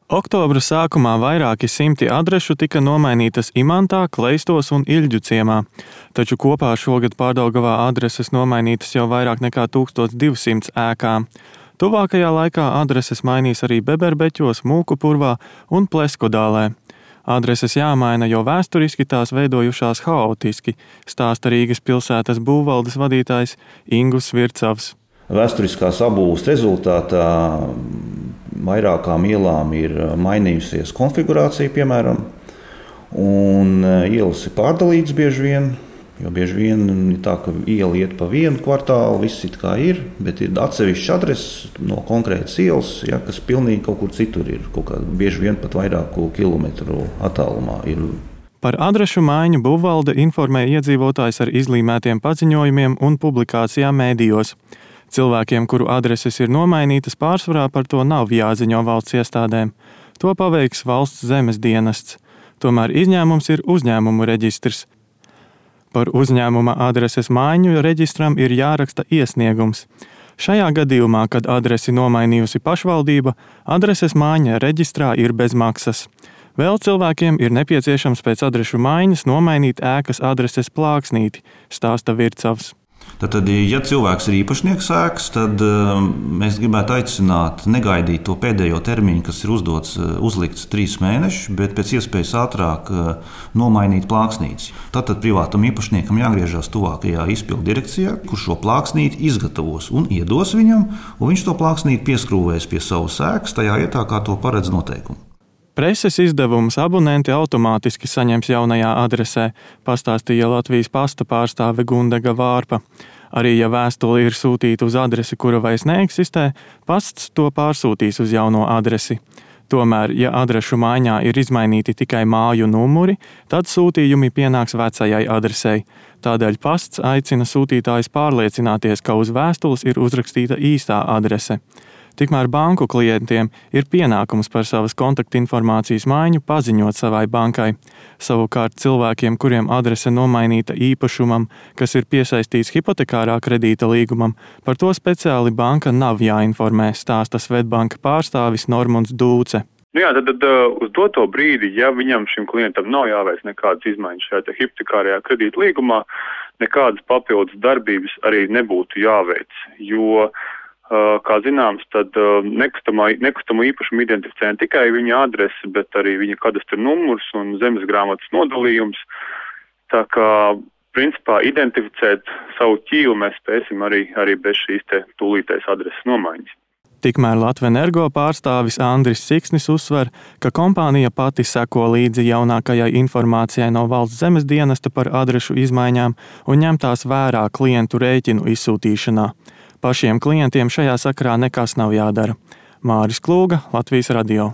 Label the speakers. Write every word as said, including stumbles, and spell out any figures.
Speaker 1: Oktobra sākumā vairāki simti adrešu tika nomainītas Imantā, Kleistos un Iļģu ciemā, taču kopā šogad Pārdaugavā adreses nomainītas jau vairāk nekā tūkstoš divsimt ēkā. Tuvākajā laikā adreses mainīs arī Beberbeķos, Mūkupurvā un Pleskodālē. Adreses jāmaina, jo vēsturiski tās veidojušās haotiski, stāsta Rīgas pilsētas būvvaldes vadītājs Ingus Vircavs.
Speaker 2: Vēsturiskās sabūves rezultātā vairākām ielām ir mainījusies konfigurācija, piemēram, un ielas ir pārdalītas bieži vien, jo bieži vien ir tā, ka iela iet pa vienu kvartālu, viss it kā ir, bet ir atsevišķs adreses no konkrētas ielas, ja, kas pilnīgi kaut kur citur ir, kaut kā bieži vien pat vairāku kilometru attālumā ir.
Speaker 1: Par adrešu maiņu būvvalde informē iedzīvotājs ar izlīmētiem paziņojumiem un publikācijām mēdījos. Cilvēkiem, kuru adreses ir nomainītas, pārsvarā par to nav jāziņo valsts iestādēm. To paveiks valsts zemes dienests. Tomēr izņēmums ir uzņēmumu reģistrs. Par uzņēmuma adreses maiņu reģistram ir jāraksta iesniegums. Šajā gadījumā, kad adresi nomainījusi pašvaldība, adreses maiņa reģistrā ir bez maksas. Vēl cilvēkiem ir nepieciešams pēc adrešu maiņas nomainīt ēkas adreses plāksnīti, stāsta Vircavs.
Speaker 2: Tad, ja cilvēks ir īpašnieks ēkas, tad mēs gribētu aicināt negaidīt to pēdējo termiņu, kas ir uzdots, uzlikts trīs mēnešus, bet pēc iespējas ātrāk nomainīt plāksnītes. Tātad privātam īpašniekam jāgriežas tuvākajā izpildu direkcijā, kurš šo plāksnīti izgatavos un iedos viņam, un viņš to plāksnīti pieskrūvēs pie savas ēkas tajā vietā, kā to paredz noteikumi.
Speaker 1: Preses izdevumus abonenti automātiski saņems jaunajā adresē, pastāstīja Latvijas pasta pārstāve Gundega Vārpa. Arī ja vēstule ir sūtīta uz adresi, kura vairs neeksistē, pasts to pārsūtīs uz jauno adresi. Tomēr, ja adrešu maiņā ir izmainīti tikai māju numuri, tad sūtījumi pienāks vecajai adresei. Tādēļ pasts aicina sūtītājus pārliecināties, ka uz vēstules ir uzrakstīta īstā adrese. Tikmēr banku klientiem ir pienākums par savas kontaktinformācijas maiņu paziņot savai bankai. Savukārt cilvēkiem, kuriem adrese nomainīta īpašumam, kas ir piesaistīts hipotekārā kredīta līgumam, par to speciāli banka nav jāinformē, stāsta Svetbanka pārstāvis Normunds Dūce.
Speaker 3: Nu jā, tad, tad uz doto brīdi, ja viņam šim klientam nav jāveic nekādas izmaiņas šajā hipotekārajā kredīta līgumā, nekādas papildus darbības arī nebūtu jāveic, jo kā zināms, tad nekustamo, nekustamo īpašumu identificē ne tikai viņa adrese, bet arī viņa kadastra numurs un zemes grāmatas nodalījums. Tā kā, principā, identificēt savu ķīlu mēs spēsim arī, arī bez šīs te tūlītējas adreses nomaiņas.
Speaker 1: Tikmēr Latvenergo pārstāvis Andris Siksnis uzsver, ka kompānija pati seko līdzi jaunākajai informācijai no valsts zemes dienesta par adrešu izmaiņām un ņem tās vērā klientu rēķinu izsūtīšanā. Pašiem klientiem šajā sakarā nekas nav jādara. Māris Klūga, Latvijas radio.